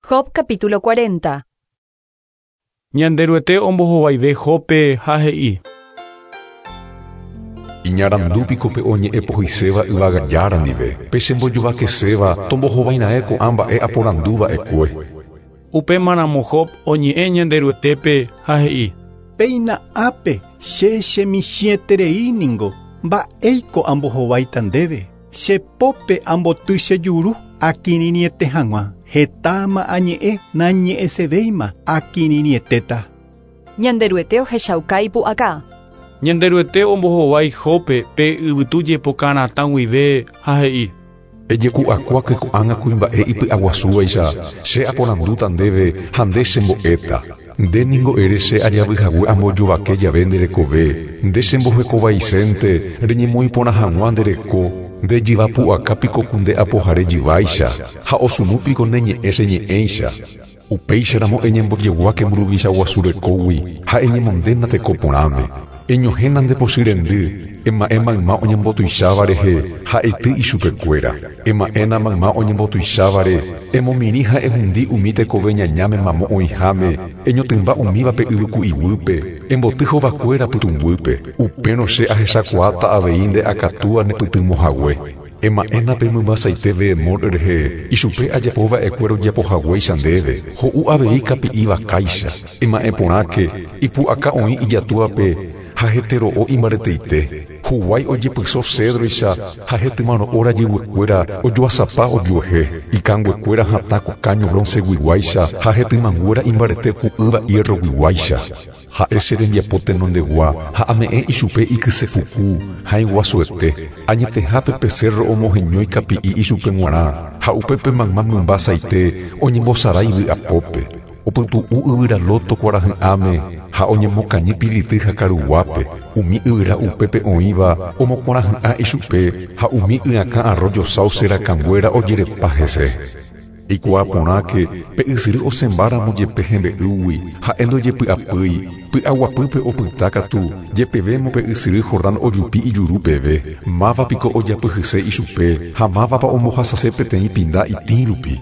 Job capítulo 40. Ñanderuete ombohovaive Jóbpe ha he'i. Iñarandu piko pe oñe'ẽ pohyiséva yvága Jára ndive, pe chembojovakeséva tombohovairãe ko'ã mba'e aporandu va'ekue. Upémaramo Job oñe'ẽ Ñanderuetépe ha he'i. Péina ápe che chemichĩeterei ningo, mba'éiko ambohováita ndéve, che pópe amboty che juru akirirĩete hag̃ua, hetáma añe'ẽ nañe'ẽsevéima akirirĩetéta. Ñanderuete ohechauka ipu'aka. Ñanderuete ombohovái Jóbpe pe yvytu jepoka ratã guive ha he'i. Ejeku'akuáke ko'ág̃a kuimba'e ipy'aguasúvaicha, che aporandúta ndéve ha nde chembo'éta. Nde ningo ere che ajavy hague ambojovake jave nde rekove, nde chembohekovaisénte reñemoĩ porã hag̃ua nde reko, nde jyva pu'aka piko ku nde apohare jyváicha, ha osunu piko ne ñe'ẽ che ñe'ẽicha. Upéicharamo eñembojeguáke mburuvicha guasu rekógui ha eñemondéna teko porãme. Eñohẽna nde pochy rendy, ema'ẽ mayma oñembotuicháva rehe ha eity ichupekuéra. Ema'ẽna mayma oñembotuichávare, emomirĩ ha ehundi umi tekove ñañáme mamo oĩháme, eñotỹmba umívape yvyku'i guýpe, emboty hovakuéra pytũnguýpe. Upérõ che ahechakuaáta avei nde akatúa nepytyvõ hague. Ema'ẽna pe mymba saite Behemot rehe, ichupe ajapo va'ekue rojapo haguéicha ndéve, ho'u avei kapi'i vakáicha. Ema'ẽ porãke, ipu'aka oĩ ijatúape ha hete ro'o imbareteite. Huguái ojepyso cédroicha ha hetymaro'o rajyguekuéra ojoasapa ojuehe. Ikanguekuéra hatã ku káño bronceguiguáicha ha hetymanguéra imbarete ku ýva hierroguiguáicha. Ha'e che rembiapo tenondegua ha ame'ẽ ichupe ikyse puku, hãi guasuete. Añetehápe pe cérro omoheñói kapi'i ichupe g̃uarã, ha upépe mayma mymba saite oñembosarái vy'apópe. Opytu'u yvyra lóto kuarahy'ãme ha oñemokañy pility ha karuguápe. Umi yvyra upépe oĩva omokuarahy'ã ichupe ha umi y'akã arroyo sauce rakãnguéra ojerepa hese. Eikuaa porãke, pe ysyry osẽmbáramo jepe hembe'ýgui, ha'e ndojepy'apýi, py'aguapýpe opyta katu, jepevémo pe ysyry Jordán ojupi ijuru peve. Máva piko ojapyhyse ichupe, ha mávapa ombohasase peteĩ pinda itĩ rupi?